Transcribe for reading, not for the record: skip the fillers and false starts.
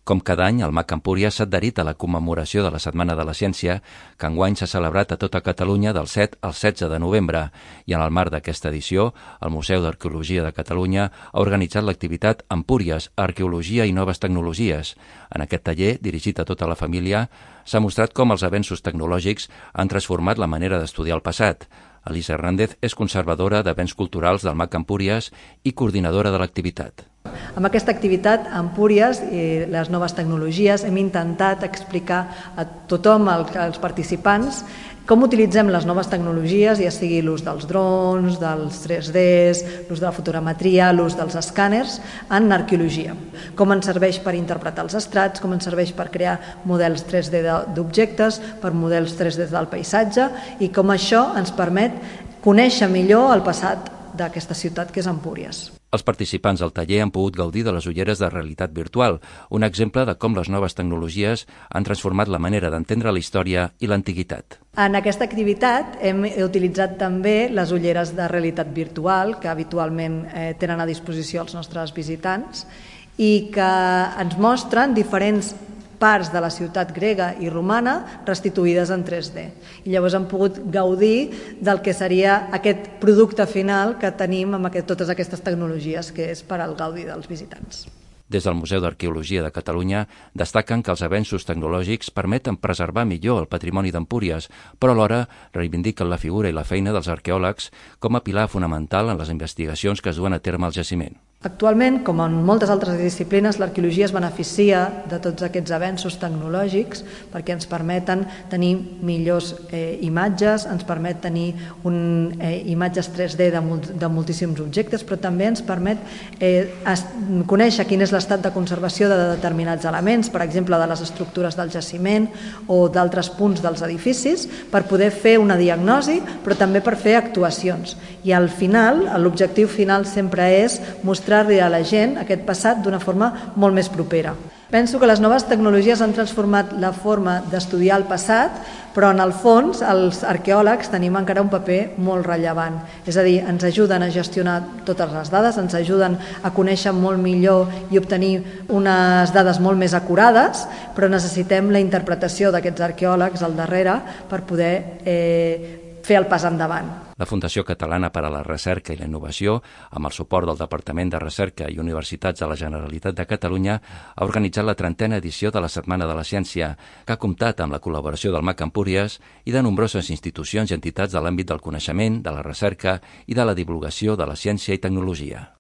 Com cada any, el MAC Empúries s'ha adherit a la commemoració de la Setmana de la Ciència, que enguany s'ha celebrat a tota Catalunya del 7 al 16 de novembre, i en el marc d'aquesta edició, el Museu d'Arqueologia de Catalunya ha organitzat l'activitat Empúries, Arqueologia i Noves Tecnologies. En aquest taller, dirigit a tota la família, s'ha mostrat com els avenços tecnològics han transformat la manera d'estudiar el passat. Elisa Hernández és conservadora de béns culturals del MAC Empúries i coordinadora de l'activitat. Amb aquesta activitat, Empúries i les noves tecnologies, hem intentat explicar a tothom, als participants, com utilitzem les noves tecnologies, ja sigui l'ús dels drons, dels 3Ds, l'ús de la fotogrametria, l'ús dels escàners, en arqueologia. Com ens serveix per interpretar els estrats, com ens serveix per crear models 3D d'objectes, per models 3D del paisatge, i com això ens permet conèixer millor el passat d'aquesta ciutat que és Empúries. Els participants del taller han pogut gaudir de les ulleres de realitat virtual, un exemple de com les noves tecnologies han transformat la manera d'entendre la història i l'antiguitat. En aquesta activitat hem utilitzat també les ulleres de realitat virtual que habitualment tenen a disposició els nostres visitants i que ens mostren diferents parts de la ciutat grega i romana restituïdes en 3D. I llavors hem pogut gaudir del que seria aquest producte final que tenim amb totes aquestes tecnologies, que és per al gaudi dels visitants. Des del Museu d'Arqueologia de Catalunya destaquen que els avenços tecnològics permeten preservar millor el patrimoni d'Empúries, però alhora reivindiquen la figura i la feina dels arqueòlegs com a pilar fonamental en les investigacions que es duen a terme al jaciment. Actualment, com en moltes altres disciplines, l'arqueologia es beneficia de tots aquests avenços tecnològics perquè ens permeten tenir millors imatges, ens permet tenir imatges 3D de moltíssims objectes, però també ens permet conèixer quin és l'estat de conservació de determinats elements, per exemple, de les estructures del jaciment o d'altres punts dels edificis, per poder fer una diagnosi, però també per fer actuacions. I al final, l'objectiu final sempre és mostrar-li a la gent aquest passat d'una forma molt més propera. Penso que les noves tecnologies han transformat la forma d'estudiar el passat, però en el fons els arqueòlegs tenim encara un paper molt rellevant. És a dir, ens ajuden a gestionar totes les dades, ens ajuden a conèixer molt millor i obtenir unes dades molt més acurades, però necessitem la interpretació d'aquests arqueòlegs al darrere per poder fer el pas endavant. La Fundació Catalana per a la Recerca i la Innovació, amb el suport del Departament de Recerca i Universitats de la Generalitat de Catalunya, ha organitzat la 30a edició de la Setmana de la Ciència, que ha comptat amb la col·laboració del MAC Empúries i de nombroses institucions i entitats de l'àmbit del coneixement, de la recerca i de la divulgació de la ciència i tecnologia.